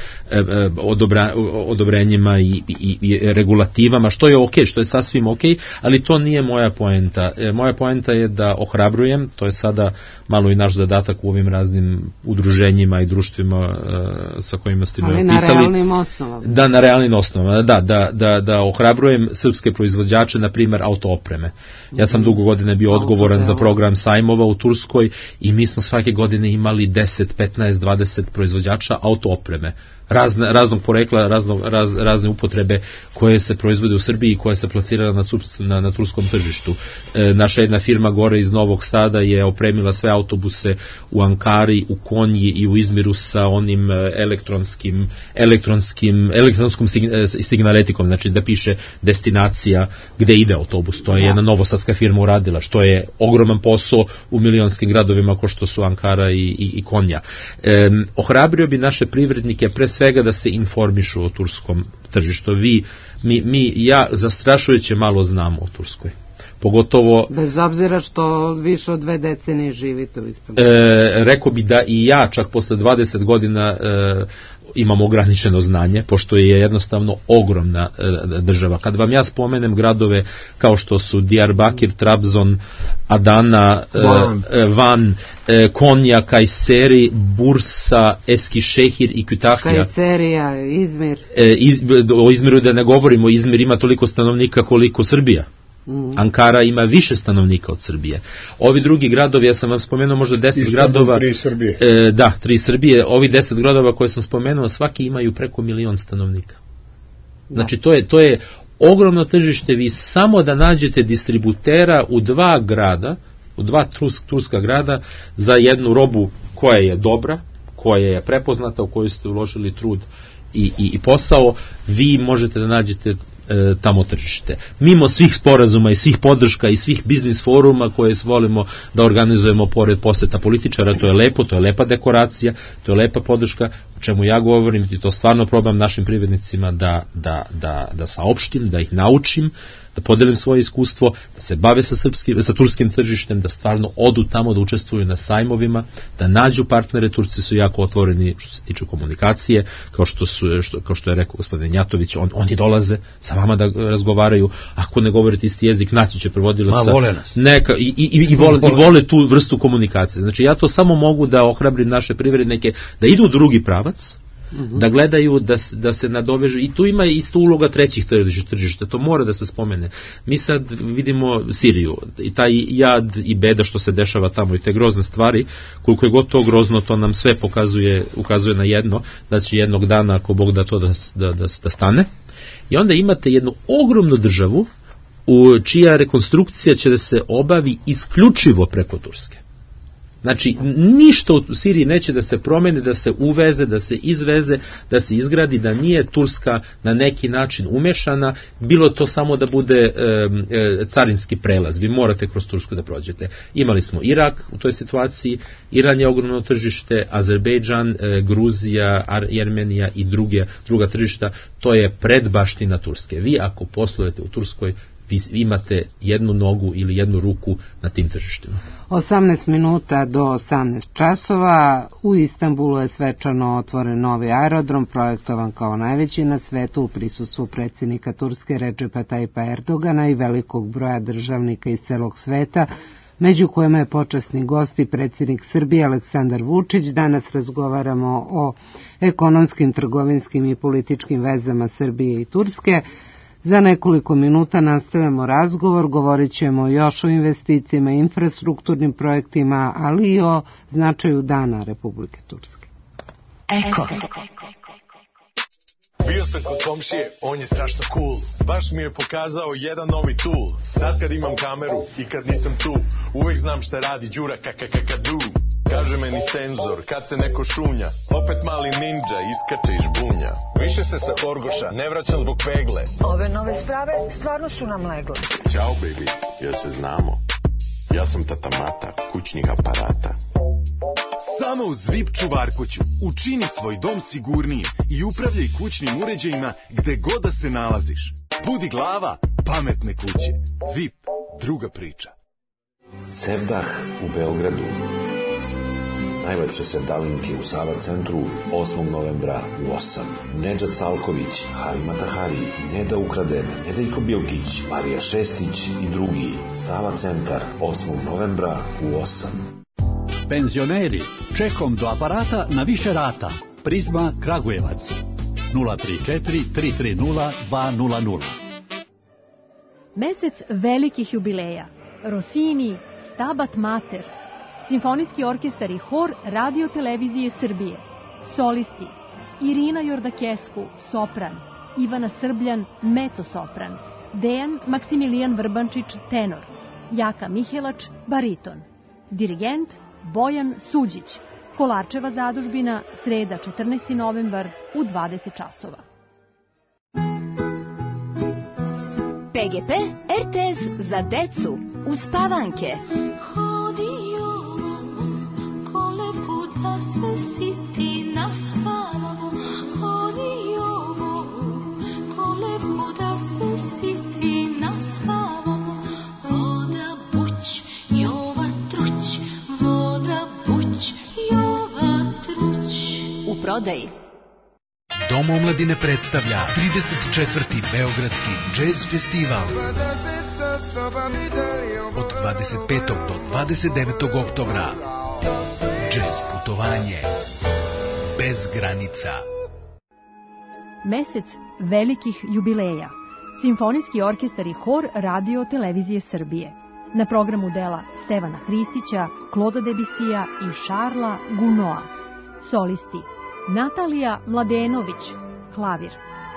odobrenjima i regulativama, što je okej, što je sasvim okej, ali to nije moja poenta. Moja poenta je da ohrabrujem, to je sada malo i naš zadatak u ovim raznim udruženjima i društvima sa kojima ste me opisali. Ali na realnim osnovama. Da, na realnim osnovama, da ohrabrujem srpske proizvođače, na primjer autoopreme. Ja sam dugo godine bio odgovoran za program sajmova u Turskoj i mi smo svake godine imali 10, 15, 20 proizvođača autoopreme. raznog porekla, razne upotrebe koje se proizvode u Srbiji i koja se plasira na turskom tržištu. Naša jedna firma gore iz Novog Sada je opremila sve autobuse u Ankari, u Konji i u Izmiru sa onim elektronskom signaletikom, znači da piše destinacija gde ide autobus. To je jedna novosadska firma uradila, što je ogroman posao u milionskim gradovima kao što su Ankara i Konja. Ohrabrio bi naše privrednike pre svega da se informišu o turskom tržištu. Ja zastrašujuće malo znamo o Turskoj. Pogotovo... Bez obzira što više od 2 decenije živite u Istanbulu. Rekao bi da i ja čak posle 20 godina imam ograničeno znanje, pošto je jednostavno ogromna država. Kad vam ja spomenem gradove kao što su Diyarbakir, Trabzon, Adana, Van, Konya, Kayseri, Bursa, Eskişehir i Kütahya. Kajserija, Izmir. O Izmiru da ne govorimo, Izmir ima toliko stanovnika koliko Srbija. Ankara ima više stanovnika od Srbije. Ovi drugi gradovi, ja sam vam spomenuo možda 10 gradova. 3 Srbije. 3 Srbije. Ovi 10 gradova koje sam spomenuo, svaki imaju preko 1 milion stanovnika. Znači to je ogromno tržište. Vi samo da nađete distributera u 2 grada, u 2 turska grada za jednu robu koja je dobra, koja je prepoznata, u koju ste uložili trud i posao, vi možete da nađete tamo tržište. Mimo svih sporazuma i svih podrška i svih biznis foruma koje volimo da organizujemo pored poseta političara, to je lepo, to je lepa dekoracija, to je lepa podrška, o čemu ja govorim i to stvarno probam našim privrednicima da saopštim, da ih naučim, da podelim svoje iskustvo, da se bave sa turskim tržištem, da stvarno odu tamo, da učestvuju na sajmovima, da nađu partnere. Turci su jako otvoreni što se tiče komunikacije, kao što je rekao gospodin Njatović, oni dolaze sa vama da razgovaraju, ako ne govorite isti jezik, naći će prevodilaca. Vole nas. I vole tu vrstu komunikacije. Znači ja to samo mogu da ohrabrim naše privrednike da idu u drugi pravac, da gledaju, da se nadovežu, i tu ima isto uloga trećih tržišta, to mora da se spomene. Mi sad vidimo Siriju i taj jad i beda što se dešava tamo i te grozne stvari, koliko je gotovo grozno, to nam sve ukazuje na jedno, da će jednog dana, ako Bog da to da stane. I onda imate jednu ogromnu državu čija rekonstrukcija će da se obavi isključivo preko Turske. Znači, ništa u Siriji neće da se promeni, da se uveze, da se izveze, da se izgradi, da nije Turska na neki način umešana, bilo to samo da bude carinski prelaz. Vi morate kroz Tursku da prođete. Imali smo Irak u toj situaciji, Iran je ogromno tržište, Azerbejdžan, Gruzija, Armenija i druga tržišta, to je predbaština Turske. Vi ako poslujete u Turskoj, vi imate jednu nogu ili jednu ruku na tim tržištima. 18 minuta do 18 časova. U Istanbulu je svečano otvoren novi aerodrom, projektovan kao najveći na svetu u prisustvu predsjednika Turske Redžepa Tajpa Erdogana i velikog broja državnika iz celog sveta, među kojima je počasni gost i predsjednik Srbije Aleksandar Vučić. Danas razgovaramo o ekonomskim, trgovinskim i političkim vezama Srbije i Turske. Za nekoliko minuta nastavljamo razgovor, govorit ćemo još o investicijama i infrastrukturnim projektima, ali i o značaju Dana Republike Turske. Eko. Bio sam kod komšije, on je strašno cool. Baš mi je pokazao jedan novi tool. Sad kad imam kameru i kad nisam tu, uvek znam šta radi Đura kakakakadu. Kaže meni senzor, kad se neko šunja, opet mali ninja iskače iz žbunja. Više se sa Horgoša ne vraćam zbog pegle. Ove nove sprave stvarno su nam legle. Ćao baby, jel se znamo? Ja sam tata Mata, kućnih aparata. Samo uz VIP čuvarkuću učini svoj dom sigurnije i upravljaj kućnim uređajima gde god da se nalaziš. Budi glava pametne kuće. VIP, druga priča. Sevdah u Beogradu. Najlepše sevdalinke u Sava centru 8. novembra u 8. Nedžad Salković, Harima Tahari, Neda Ukraden, Nedeljko Bilkić, Marija Šestić i drugi. Sava centar 8. novembra u 8. Penzioneri, čekom do aparata na više rata. Prizma Kragujevac 034 330 200. Mesec velikih jubileja. Rossini, Stabat Mater, Simfonijski orkestar i hor Radio Televizije Srbije, solisti Irina Jordakesku, sopran, Ivana Srbljan, mecosopran, Dejan Maksimilijan Vrbančić, tenor, Jaka Mihelač, bariton, dirigent Bojan Suđić, Kolarčeva zadužbina, sreda 14. novembar u 20 časova. PGP RTS za decu uspavanke. Hodio kolevku da se siti naspavamo. Hodio kolevku da se siti naspavamo. Voda buć, Jova truć, voda buć, Jova truć. U prodaji Dom omladine predstavlja 34. Beogradski džez festival od 25. do 29. oktobra. Džez putovanje bez granica. Mesec velikih jubileja. Simfonijski orkestar i hor Radio Televizije Srbije. Na programu dela Stevana Hristića, Kloda Debisija i Šarla Gunoa. Solisti Natalija Mladenović, klavir,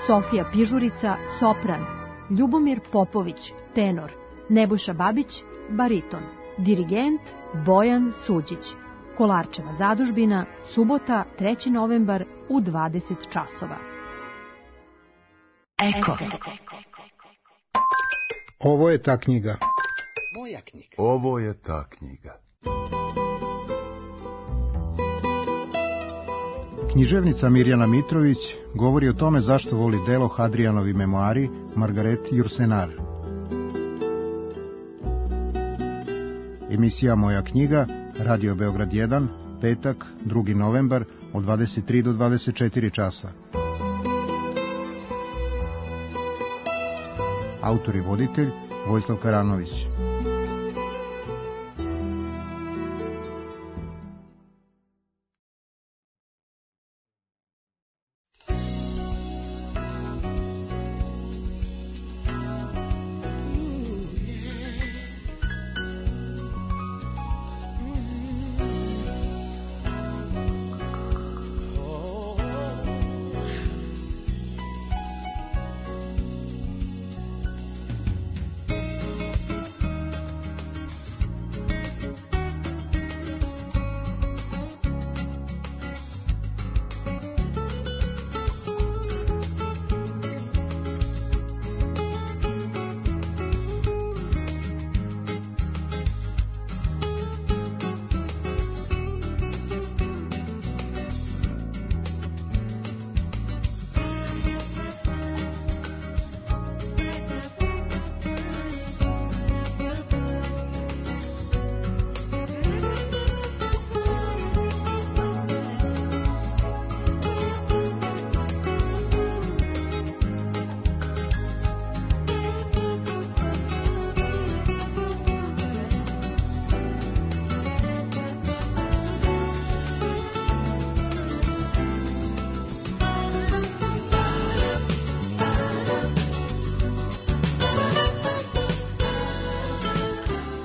Sofija Pižurica, sopran, Ljubomir Popović, tenor, Nebojša Babić, bariton, dirigent Bojan Suđić. Kolarčeva zadužbina, subota 3. novembar u 20 časova. Eko. Ovo je ta knjiga. Moja knjiga. Ovo je ta knjiga. Književnica Mirjana Mitrović govori o tome zašto voli delo Hadrijanovi memoari Margaret Jursenar. Emisija Moja knjiga, Radio Beograd 1, petak, 2. novembar, od 23 do 24 časa. Autor i voditelj Vojislav Karanović.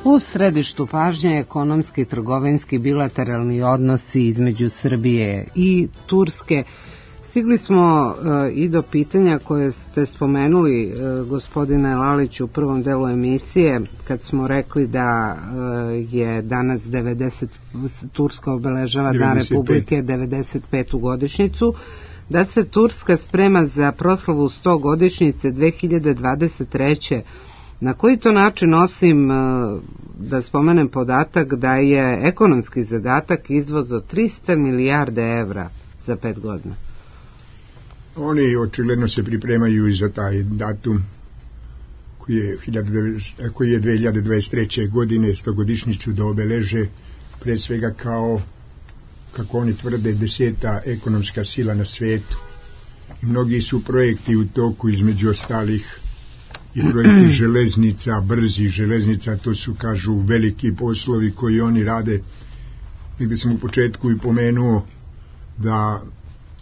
U središtu pažnje ekonomski i trgovinski bilateralni odnosi između Srbije i Turske. Stigli smo i do pitanja koje ste spomenuli, gospodine Lalić, u prvom delu emisije, kad smo rekli da je danas 90, Turska obeležava 95. Dan Republike 95. godišnjicu, da se Turska sprema za proslavu 100 godišnjice 2023. Na koji to način, osim da spomenem podatak da je ekonomski zadatak izvoz od 300 milijarde evra za 5 godina? Oni očigledno se pripremaju i za taj datum koji je 2023. godine 100-godišnjicu da obeleže, pre svega kao, kako oni tvrde, 10. ekonomska sila na svetu. I mnogi su projekti u toku, između ostalih i projekti železnica, brzih železnica, to su, kažu, veliki poslovi koji oni rade. Negde sam u početku i pomenuo da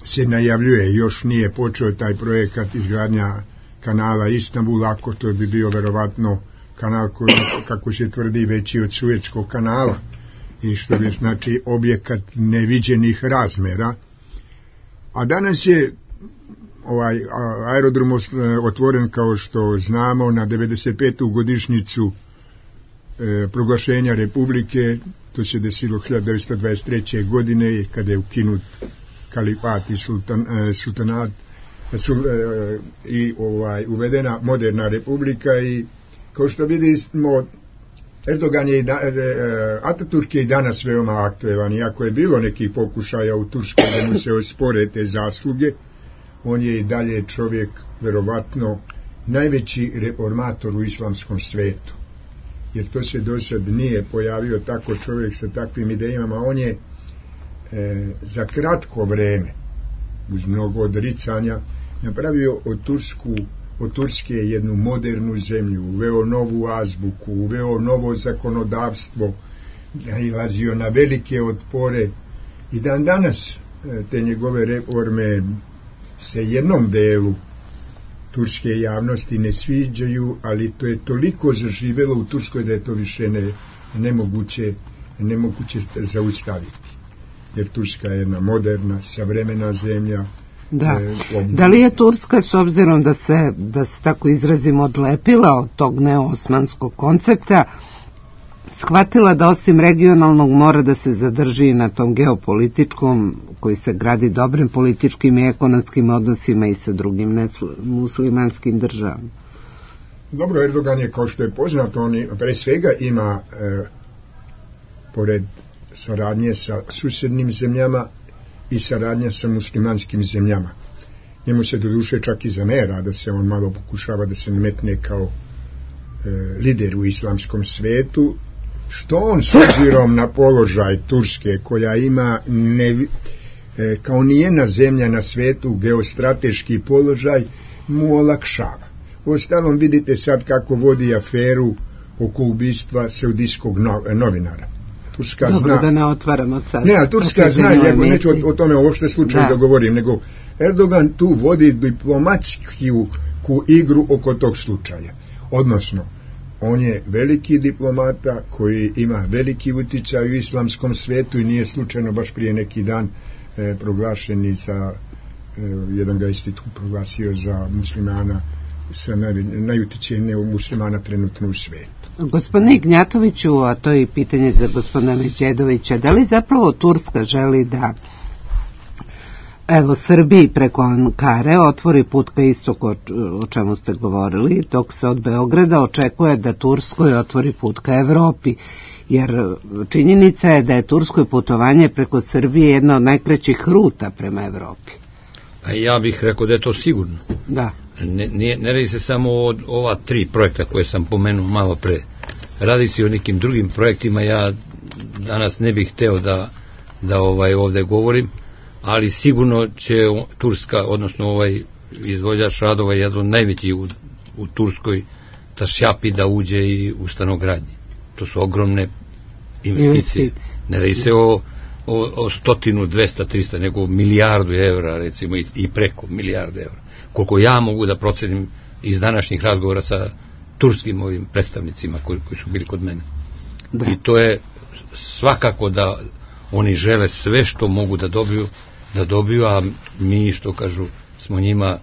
se najavljuje, još nije počeo taj projekat izgradnja kanala Istanbul, ako to bi bio verovatno kanal koji, kako se tvrdi, veći od Suetskog kanala, i što bi znači objekat neviđenih razmera. A danas je ovaj aerodrom otvoren, kao što znamo, na 95. godišnjicu proglašenja Republike. To se desilo 1923. godine kada je ukinut kalifat i sultanat i uvedena moderna republika. I kao što vidimo, Erdogan je Ataturk je i danas veoma aktuelan, iako je bilo nekih pokušaja u Turskoj da mu se ospore te zasluge. On je i dalje čovjek, verovatno, najveći reformator u islamskom svetu, jer to se do sad nije pojavio tako čovjek sa takvim idejama. On je za kratko vreme, uz mnogo odricanja, napravio od Turske jednu modernu zemlju, uveo novu azbuku, uveo novo zakonodavstvo, nailazio na velike otpore, i dan danas te njegove reforme se jednom delu turske javnosti ne sviđaju, ali to je toliko zaživelo u Turskoj da je to više nemoguće zaustaviti, jer Turska je jedna moderna, savremena zemlja. Da li je Turska, s obzirom da se tako izrazimo, odlepila od tog neosmanskog koncepta, shvatila da osim regionalnog mora da se zadrži na tom geopolitičkom, koji se gradi dobrim političkim i ekonomskim odnosima i sa drugim muslimanskim državama? Dobro, Erdogan je, kao što je poznato, on pre svega ima, pored saradnje sa susednim zemljama, i saradnja sa muslimanskim zemljama. Njemu se doduše čak i zamera da se on malo pokušava da se nametne kao lider u islamskom svetu, što on, s obzirom na položaj Turske, koja ima kao nijedna zemlja na svetu geostrateški položaj, mu olakšava. Uostalom, vidite sad kako vodi aferu oko ubistva saudijskog novinara. Turska Dobro, zna, da ne otvaramo sad. Ne, Turska zna, ja neću o tome uopšte slučaju da govorim, nego Erdogan tu vodi diplomatsku igru oko tog slučaja. Odnosno, on je veliki diplomata koji ima veliki uticaj u islamskom svetu i nije slučajno baš prije neki dan proglašen i za jedan ga institut proglasio za muslimana, sa najuticajnijeg muslimana trenutno u svetu. Gospodine Ignjatoviću, a to je i pitanje za gospodina Međedovića, da li zapravo Turska želi da Srbiji preko Ankare otvori put ka istoku, o čemu ste govorili, dok se od Beograda očekuje da Turskoj otvori put ka Evropi, jer činjenica je da je tursko putovanje preko Srbije jedna od najkraćih ruta prema Evropi. Pa ja bih rekao da je to sigurno. Da. Ne radi se samo o ova 3 projekta koje sam pomenuo malo pre. Radi se o nekim drugim projektima. Ja danas ne bih hteo da ovde govorim, ali sigurno će Turska, odnosno ovaj izvođač radova, jedan najveći u Turskoj, Tašjapi, da uđe i u stanogradnji. To su ogromne investicije. Ne radi se o 100, 200, 300, nego milijardu evra, recimo, i preko milijardu evra. Koliko ja mogu da procenim iz današnjih razgovora sa turskim ovim predstavnicima koji su bili kod mene. Da. I to je svakako da oni žele sve što mogu da dobiju, a mi, što kažu, smo njima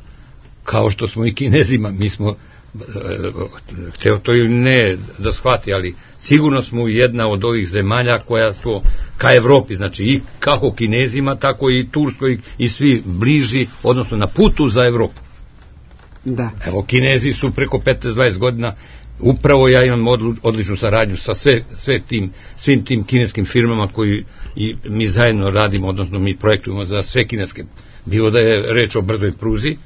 kao što smo i Kinezima, mi smo hteo to ili ne da shvati, ali sigurno smo jedna od ovih zemalja koja smo ka Evropi, znači i kako Kinezima, tako i Turskoj, i svi bliži, odnosno na putu za Evropu. Da. Evo, Kinezi su preko 15-20 godina, upravo ja imam odličnu saradnju sa svim tim kineskim firmama koji i mi zajedno radimo, odnosno mi projektujemo za sve kineske, bilo da je reč o brzoj pruzi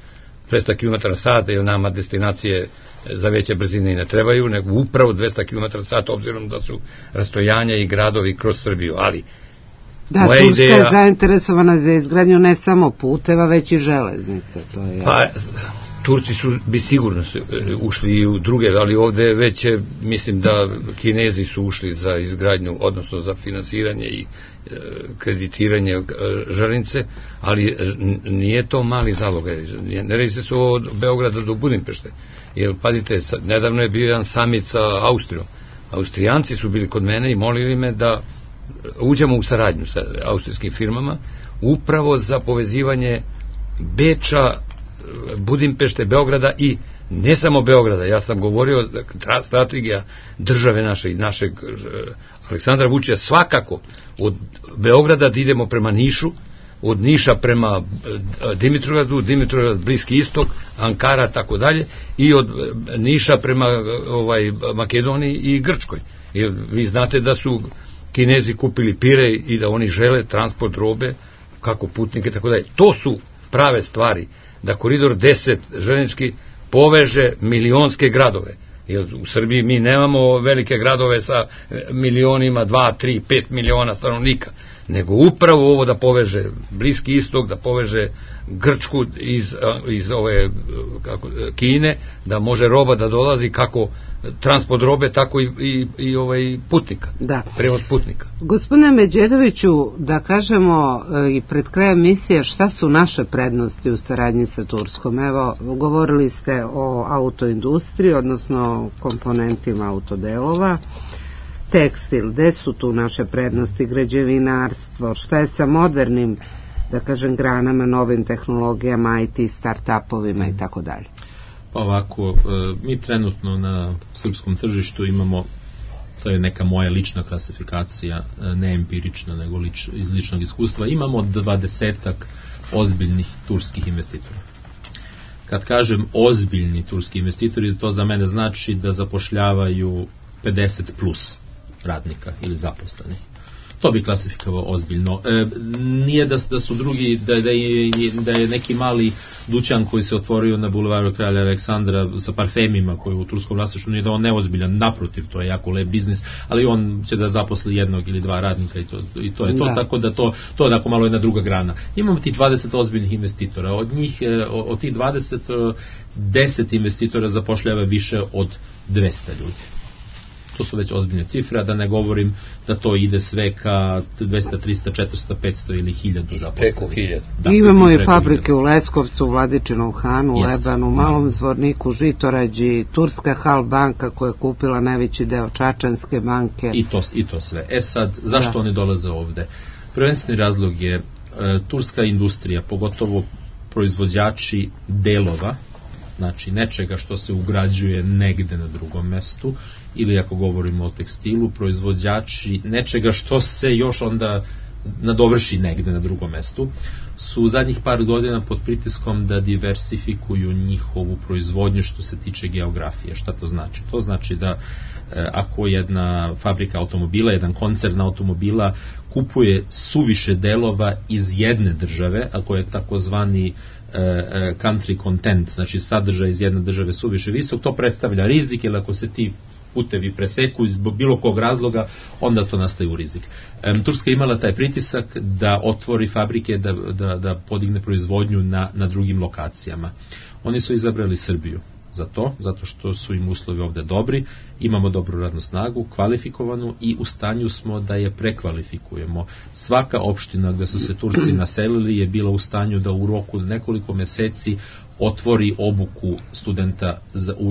200 km/h, jer nama destinacije za veće brzine i ne trebaju, nego upravo 200 km/h, obzirom da su rastojanja i gradovi kroz Srbiju, ali da, Turska je zainteresovana za izgradnju ne samo puteva, već i železnice. To je pa, Turci bi sigurno ušli i u druge, ali ovde već mislim da Kinezi su ušli za izgradnju, odnosno za finansiranje i kreditiranje železnice, ali nije to mali zalogaj. Ne radi se od Beograda do Budimpešte. Jer, pazite, nedavno je bio jedan samit sa Austrijom. Austrijanci su bili kod mene i molili me da uđemo u saradnju sa austrijskim firmama, upravo za povezivanje Beča, Budimpešte, Beograda i ne samo Beograda. Ja sam govorio strategija države našeg Aleksandra Vučića svakako od Beograda da idemo prema Nišu, od Niša prema Dimitrovgradu, Dimitrovgrad Bliski istok, Ankara, tako dalje, i od Niša prema Makedoniji i Grčkoj. Jer vi znate da su Kinezi kupili Pirej i da oni žele transport robe, kako putnike, tako dalje. To su prave stvari, da koridor 10 željeznički poveže milionske gradove. Jer u Srbiji mi nemamo velike gradove sa milionima, 2, 3, 5 miliona stanovnika, nego upravo ovo da poveže Bliski istok, da poveže Grčku iz ove Kine, da može roba da dolazi, kako transport robe, tako i putnika, prevoz putnika. Gospodine Međedoviću, da kažemo i pred krajem emisije šta su naše prednosti u saradnji sa Turskom. Evo, govorili ste o autoindustriji, odnosno komponentima autodelova, tekstil, gde su tu naše prednosti, građevinarstvo, šta je sa modernim, da kažem, granama, novim tehnologijama, IT, start-upovima i tako dalje. Pa ovako, mi trenutno na srpskom tržištu imamo, to je neka moja lična klasifikacija, ne empirična, nego iz ličnog iskustva, imamo 20-ak ozbiljnih turskih investitora. Kad kažem ozbiljni turski investitori, to za mene znači da zapošljavaju 50 plus radnika ili zaposlenih. To bi klasifikovao ozbiljno. Nije da su drugi, da je neki mali dućan koji se otvorio na bulevaru Kralja Aleksandra sa parfemima koji je u turskom vlasništvu, nije da on neozbiljan, naprotiv, to je jako lep biznis, ali on će da zaposli 1 ili 2 radnika i to je to, tako da to onako malo jedna druga grana. Imamo ti 20 ozbiljnih investitora, od tih 20, 10 investitora zapošljava više od 200 ljudi. To su već ozbiljne cifre, a da ne govorim da to ide sve ka 200, 300, 400, 500 ili 1000 zaposlenih. Preko 1000. Imamo i fabrike u Leskovcu, u Vladičinom Hanu, u Lebanu, u Malom Zvorniku, Žitorađi, Turska Hal banka koja je kupila najveći deo Čačanske banke. I to sve. Sad, zašto oni dolaze ovde? Prvenstveni razlog je turska industrija, pogotovo proizvođači delova, znači nečega što se ugrađuje negde na drugom mestu, ili ako govorimo o tekstilu, proizvođači nečega što se još onda nadovrši negde na drugom mestu, su u zadnjih par godina pod pritiskom da diversifikuju njihovu proizvodnju što se tiče geografije. Šta to znači? To znači da ako jedna fabrika automobila, jedan koncern automobila kupuje suviše delova iz jedne države, ako je takozvani country content, znači sadržaj iz jedne države suviše visok, to predstavlja rizik, jer ako se ti putevi preseku iz bilo kog razloga, onda to nastaje u rizik. Turska je imala taj pritisak da otvori fabrike, da podigne proizvodnju na drugim lokacijama. Oni su izabrali Srbiju za to, zato što su im uslovi ovde dobri, imamo dobru radnu snagu, kvalifikovanu i u stanju smo da je prekvalifikujemo. Svaka opština gde su se Turci naselili je bila u stanju da u roku nekoliko meseci otvori obuku studenta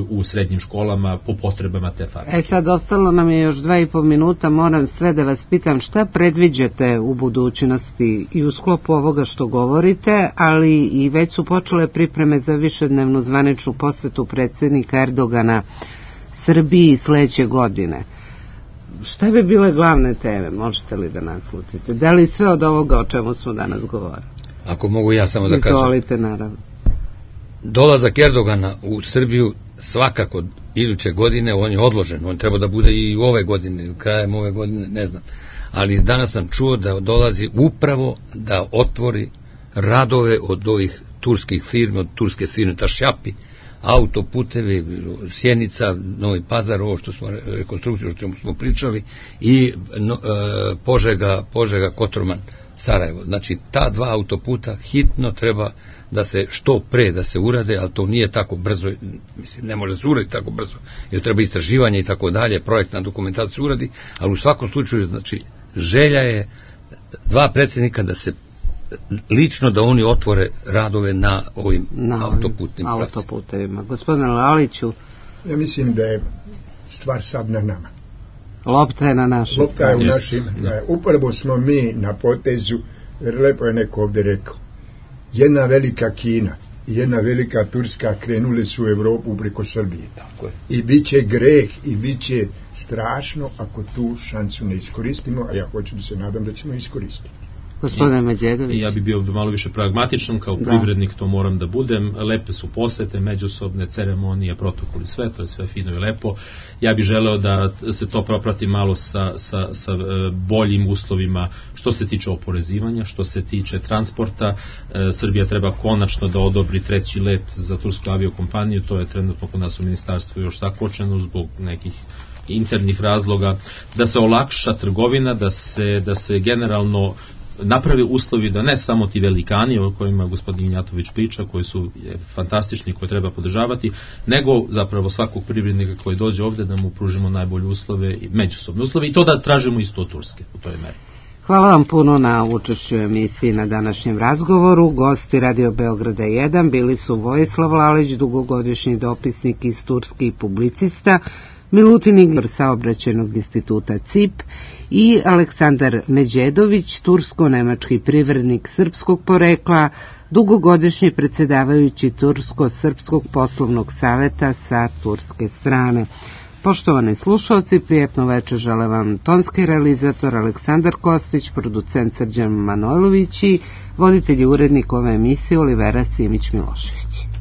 u srednjim školama po potrebama te fabrike. Sad ostalo nam je još 2,5 minuta, moram sve da vas pitam šta predviđate u budućnosti i u sklopu ovoga što govorite, ali i već su počele pripreme za višednevnu zvaničnu posetu predsjednika Erdogana Srbiji sledeće godine. Šta bi bile glavne teme, možete li da naslutite? Da li sve od ovoga o čemu smo danas govorili? Ako mogu ja samo da kažem. Izvolite, naravno. Dolazak Erdogana u Srbiju svakako iduće godine, on je odložen, on treba da bude i ove godine, krajem ove godine, ne znam. Ali danas sam čuo da dolazi upravo da otvori radove od ovih turskih firmi, od turske firme Tašjapi, autoputevi, Sjenica, Novi Pazar, ovo što smo rekonstrukciju, o čemu smo pričali, i Požega, Kotorman, Sarajevo. Znači, ta 2 autoputa hitno treba da se što pre da se urade, ali to nije tako brzo, mislim, ne može se uraditi tako brzo, jer treba istraživanje i tako dalje, projektna dokumentacija uradi, ali u svakom slučaju, znači, želja je 2 predsjednika da se lično da oni otvore radove na ovim autoputevima. Gospodine Laliću, ja mislim da je stvar sad na nama. Lopta je na našim. Lopta je u našim. Upravo smo mi na potezu, jer lepo je neko ovdje rekao. jedna velika Kina i jedna velika Turska krenule su u Evropu preko Srbije. Tako je. I bit će greh i bit će strašno ako tu šansu ne iskoristimo, a ja hoću da se nadam da ćemo iskoristiti. Gospodine Međedović. Ja bi bio malo više pragmatičan, kao privrednik to moram da budem. Lepe su posete, međusobne ceremonije, protokoli, sve, to je sve fino i lepo. Ja bih želeo da se to proprati malo sa boljim uslovima što se tiče oporezivanja, što se tiče transporta. Srbija treba konačno da odobri 3. let za tursku aviokompaniju, to je trenutno kod nas u ministarstvu još zakočeno zbog nekih internih razloga, da se olakša trgovina, da se generalno naprave uslovi da ne samo ti velikani o kojima gospodin Ignjatović priča, koji su fantastični, koje treba podržavati, nego zapravo svakog privrednika koji dođe ovde da mu pružimo najbolje uslove i međusobne uslove i to da tražimo isto od Turske u toj meri. Hvala vam puno na učešću emisiji na današnjem razgovoru. Gosti Radio Beograda 1 bili su Vojislav Lalić, dugogodišnji dopisnik iz Turske i publicista, Milutin Igor saobraćajnog instituta CIP i Aleksandar Međedović, tursko-nemački privrednik srpskog porekla, dugogodišnji predsjedavajući Tursko-srpskog poslovnog saveta sa turske strane. Poštovani slušalci, prijetno večer žele vam tonski realizator Aleksandar Kostić, producent Srđan Manojlović i voditelj i urednik ove emisije Olivera Simić-Milošević.